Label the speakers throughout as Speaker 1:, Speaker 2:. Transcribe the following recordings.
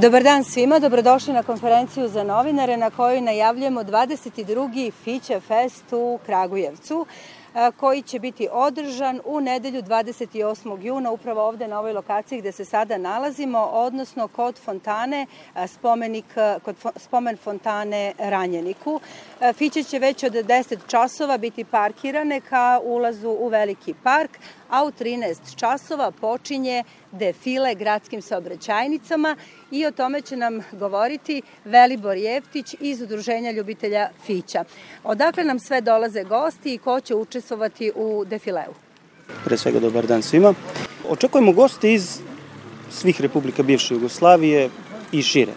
Speaker 1: Dobar dan svima, dobrodošli na konferenciju za novinare na kojoj najavljujemo 22. Fića Fest u Kragujevcu, koji će biti održan u nedelju 28. juna upravo ovde na ovoj lokaciji gde se sada nalazimo, odnosno kod fontane, kod spomen fontane Ranjeniku. Fiće će već od 10 časova biti parkirane ka ulazu u veliki park, a u 13 časova počinje defile gradskim saobraćajnicama i o tome će nam govoriti Velibor Jeftić iz Udruženja ljubitelja Fića. Odakle nam sve dolaze gosti i ko će učestvovati u defileu?
Speaker 2: Pre svega dobar dan svima. Očekujemo goste iz svih republika bivše Jugoslavije i šire.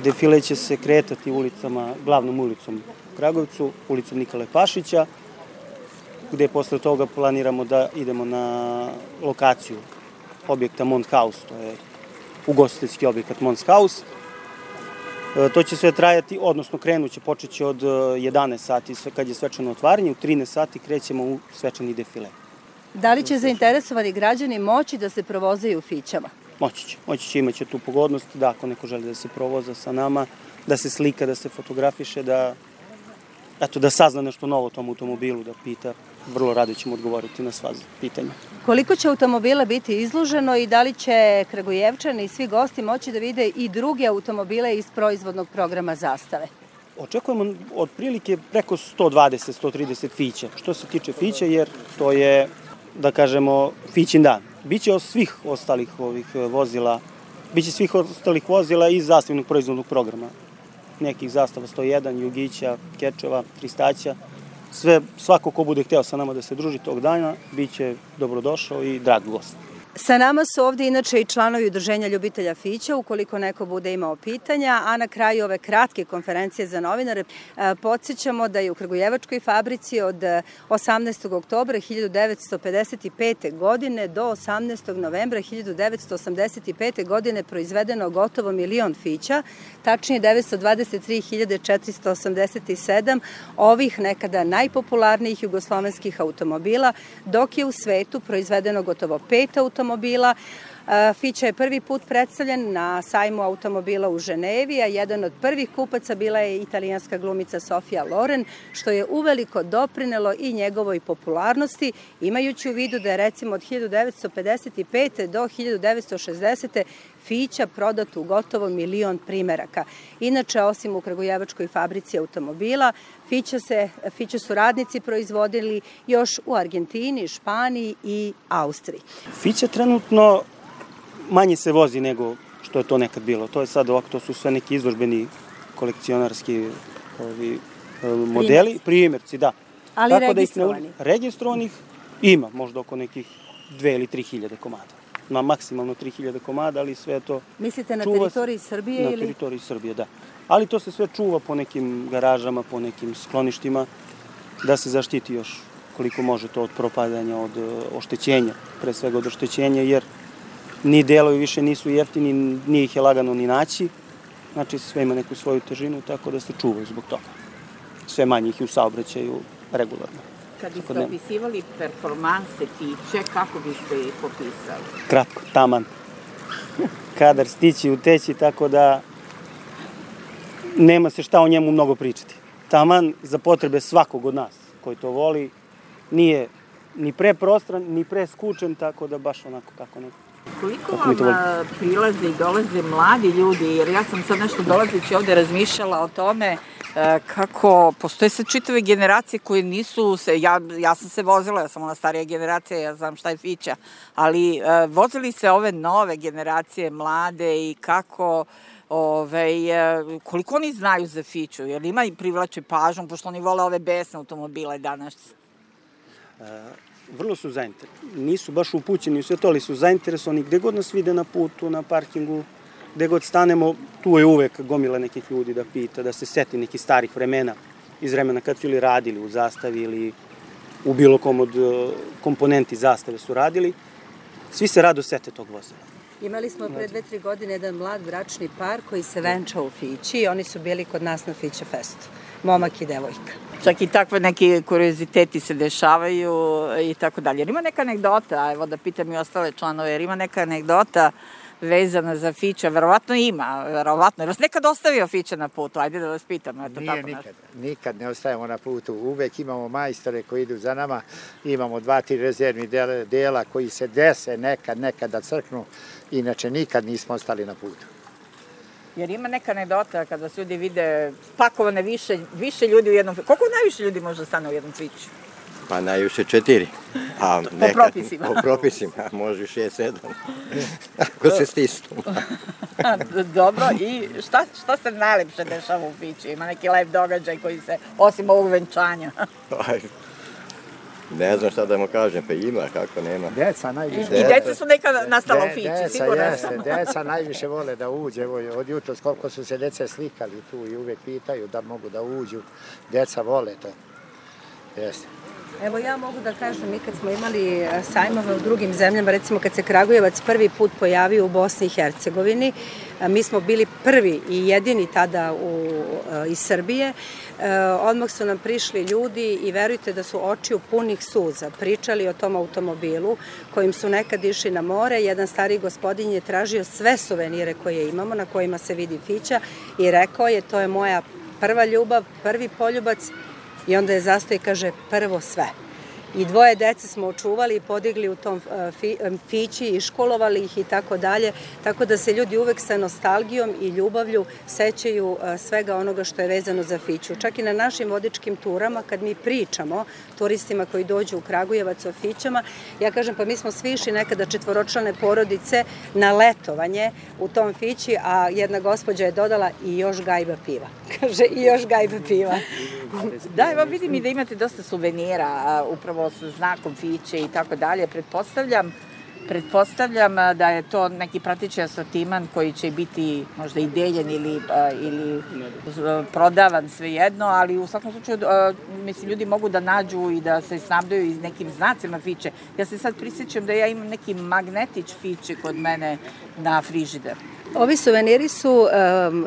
Speaker 2: Defile će se kretati ulicama, glavnom ulicom u Kragujevcu, ulicom Nikole Pašića, gde posle toga planiramo da idemo na lokaciju objekta Mont House, to je ugostiteljski objekat Mont House. To će sve trajati, odnosno krenuće, počeće od 11 sati kad je svečano otvaranje, u 13 sati krećemo u svečani defile.
Speaker 1: Da li će zainteresovani građani moći da se provozaju Fićama?
Speaker 2: Moći će, imaće tu pogodnost da ako neko želi da se provoza sa nama, da se slika, da se fotografiše, da sazna nešto novo o tom automobilu, da pita. Vrlo rado ćemo odgovoriti na sva pitanja.
Speaker 1: Koliko će automobila biti izloženo i da li će Kragujevčani i svi gosti moći da vide i druge automobile iz proizvodnog programa Zastave?
Speaker 2: Očekujemo otprilike preko 120-130 Fića. Što se tiče Fića, jer to je, da kažemo, Fićin dan. Biće svih ostalih vozila iz zastavnog proizvodnog programa. Nekih zastava 101, Jugića, Kečeva, Kristaća. Svako ko bude hteo sa nama da se druži tog dana, bit će dobrodošao i drag gost.
Speaker 1: Sa nama su ovde inače i članovi Udruženja ljubitelja Fića, ukoliko neko bude imao pitanja, a na kraju ove kratke konferencije za novinare podsjećamo da je u Kragujevačkoj fabrici od 18. oktobra 1955. godine do 18. novembra 1985. godine proizvedeno gotovo 1.000.000 Fića, tačnije 923.487 ovih nekada najpopularnijih jugoslovenskih automobila, dok je u svetu proizvedeno gotovo 5 automobila. Fića je prvi put predstavljen na sajmu automobila u Ženevi, a jedan od prvih kupaca bila je italijanska glumica Sofia Loren, što je uveliko doprinelo i njegovoj popularnosti, imajući u vidu da je recimo od 1955. do 1960. Fića prodat u gotovo 1.000.000 primeraka. Inače, osim u Kragujevačkoj fabrici automobila, Fića su radnici proizvodili još u Argentini, Španiji i Austriji.
Speaker 2: Fića trenutno manje se vozi nego što je to nekad bilo. To je sad ovako, to su sve neki izložbeni kolekcionarski modeli, primjerci, da.
Speaker 1: Ali tako registrovani?
Speaker 2: Registrovanih ima, možda oko nekih 2 ili 3 hiljade komada. Na maksimalno 3.000 komada, ali sve to...
Speaker 1: Mislite na teritoriji Srbije ili?
Speaker 2: Na teritoriji Srbije, da. Ali to se sve čuva po nekim garažama, po nekim skloništima, da se zaštiti još koliko može to od propadanja, od oštećenja, pre svega od oštećenja, jer ni delovi više nisu jeftini, nije ih je lagano ni naći, znači sve ima neku svoju težinu, tako da se čuvaju zbog toga. Sve manje ih je u saobraćaju regularno.
Speaker 3: Kad biste opisivali performanse Fiće, kako biste ih popisali?
Speaker 2: Kratko, taman. Kadar, stići, uteći, tako da nema se šta o njemu mnogo pričati. Taman za potrebe svakog od nas koji to voli, nije ni preprostran, ni preskučen, tako da baš onako kako neko.
Speaker 3: Koliko vam prilaze i dolaze mladi ljudi, jer ja sam sad nešto dolazeći ovde razmišljala o tome kako postoje sad čitave generacije koje nisu, ja sam se vozila, ja sam ona starija generacija, ja znam šta je Fića, ali vozili se ove nove generacije, mlade i kako, koliko oni znaju za Fiću, jer ima i privlače pažnju, pošto oni vole ove besne automobile danas.
Speaker 2: Vrlo su zainteresovani. Nisu baš upućeni u sve to, ali su zainteresovani gde god nas vide na putu, na parkingu, gde god stanemo, tu je uvek gomila nekih ljudi da pita, da se seti nekih starih vremena, iz vremena kad su ili radili u Zastavi ili u bilo kom od komponenti Zastave su radili. Svi se rado sete tog vozila.
Speaker 1: Imali smo pre 2-3 godine jedan mlad bračni par koji se venčao u Fići i oni su bili kod nas na Fića Festu. Momak i devojka.
Speaker 3: Čak i takve neki kurioziteti se dešavaju i tako dalje. Jer ima neka anegdota, evo da pitam i ostale članove, jer ima neka anegdota vezana za Fića? Verovatno ima, verovatno. Je vas nekad ostavio Fića na putu? Ajde da vas pitam. Eto,
Speaker 4: Nije
Speaker 3: tako
Speaker 4: nikad. Nikad ne ostajemo na putu. Uvek imamo majstore koji idu za nama. Imamo 2-3 rezervni dela koji se dese nekad da crknu. Inače, nikad nismo ostali na putu.
Speaker 3: Jer ima neka anegdota kada vas ljudi vide pakovane više ljudi u jednom Fiću. Koliko najviše ljudi može da stane u jednom Fiću?
Speaker 5: Pa najviše 4. A
Speaker 3: po propisima.
Speaker 5: Po propisima, može 6-7. Ako se stisnu.
Speaker 3: Dobro, i šta se najlepše dešava u Fiću? Ima neki lep događaj koji se, osim ovog venčanja?
Speaker 5: Ne znam šta da mu kažem, pa ima, kako nema.
Speaker 4: Deca najviše.
Speaker 3: I deca su nekada nastala u Fići, sigurno sam.
Speaker 4: Deca najviše vole da uđe. Od jutros koliko su se dece slikali tu i uvek pitaju da mogu da uđu. Deca vole to. Jeste.
Speaker 1: Evo ja mogu da kažem, mi kad smo imali sajmove u drugim zemljama, recimo kad se Kragujevac prvi put pojavio u Bosni i Hercegovini, mi smo bili prvi i jedini tada iz Srbije. Odmah su nam prišli ljudi i verujte da su očiju punih suza pričali o tom automobilu kojim su nekad išli na more. Jedan stari gospodin je tražio sve suvenire koje imamo na kojima se vidi Fića i rekao je to je moja prva ljubav, prvi poljubac. I onda je zastao i kaže prvo sve. I 2 dece smo očuvali i podigli u tom Fići i školovali ih i tako dalje. Tako da se ljudi uvek sa nostalgijom i ljubavlju sećaju svega onoga što je vezano za Fiću. Čak i na našim vodičkim turama, kad mi pričamo turistima koji dođu u Kragujevac o Fićama, ja kažem pa mi smo svi išli nekada 4-člane porodice na letovanje u tom Fići, a jedna gospođa je dodala i još gajba piva. Kaže i još gajba piva.
Speaker 3: Da, evo vidim i da imate dosta suvenira, upravo sa znakom Fiće i tako dalje. Pretpostavljam da je to neki prateći asortiman koji će biti možda i deljen ili prodavan svejedno, ali u svakom slučaju mislim ljudi mogu da nađu i da se snabdaju iz nekim znacima Fiće. Ja se sad prisjećam da ja imam neki magnetić Fiće kod mene na frižider.
Speaker 1: Ovi suveniri su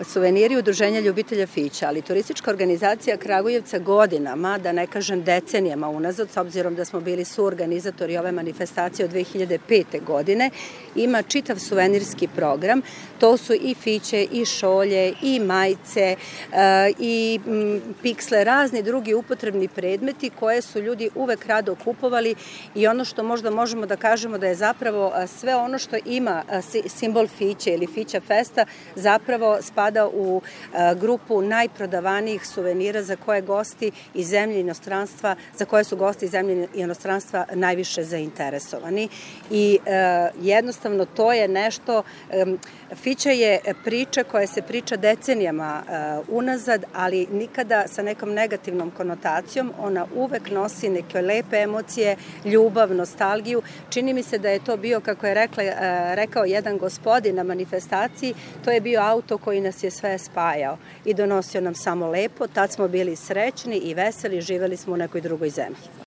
Speaker 1: suveniri Udruženja ljubitelja Fića, ali turistička organizacija Kragujevca godinama, da ne kažem decenijama unazad, s obzirom da smo bili suorganizatori ove manifestacije od 2005. godine, ima čitav suvenirski program. To su i Fiće, i šolje, i majice, i piksle, razni drugi upotrebni predmeti koje su ljudi uvek rado kupovali i ono što možda možemo da kažemo da je zapravo sve ono što ima simbol Fiće ili Fića Festa zapravo spada u grupu najprodavanijih suvenira za koje gosti iz zemlje i inostranstva, za koje su gosti iz zemlje i inostranstva najviše zainteresovani. I jednostavno to je nešto, Fića je priča koja se priča decenijama unazad, ali nikada sa nekom negativnom konotacijom. Ona uvek nosi neke lepe emocije, ljubav, nostalgiju. Čini mi se da je to bio, kako je rekao jedan gospodin na manifestaciji, to je bio auto koji nas je sve spajao i donosio nam samo lepo. Tad smo bili srećni i veseli, živeli smo u nekoj drugoj zemlji.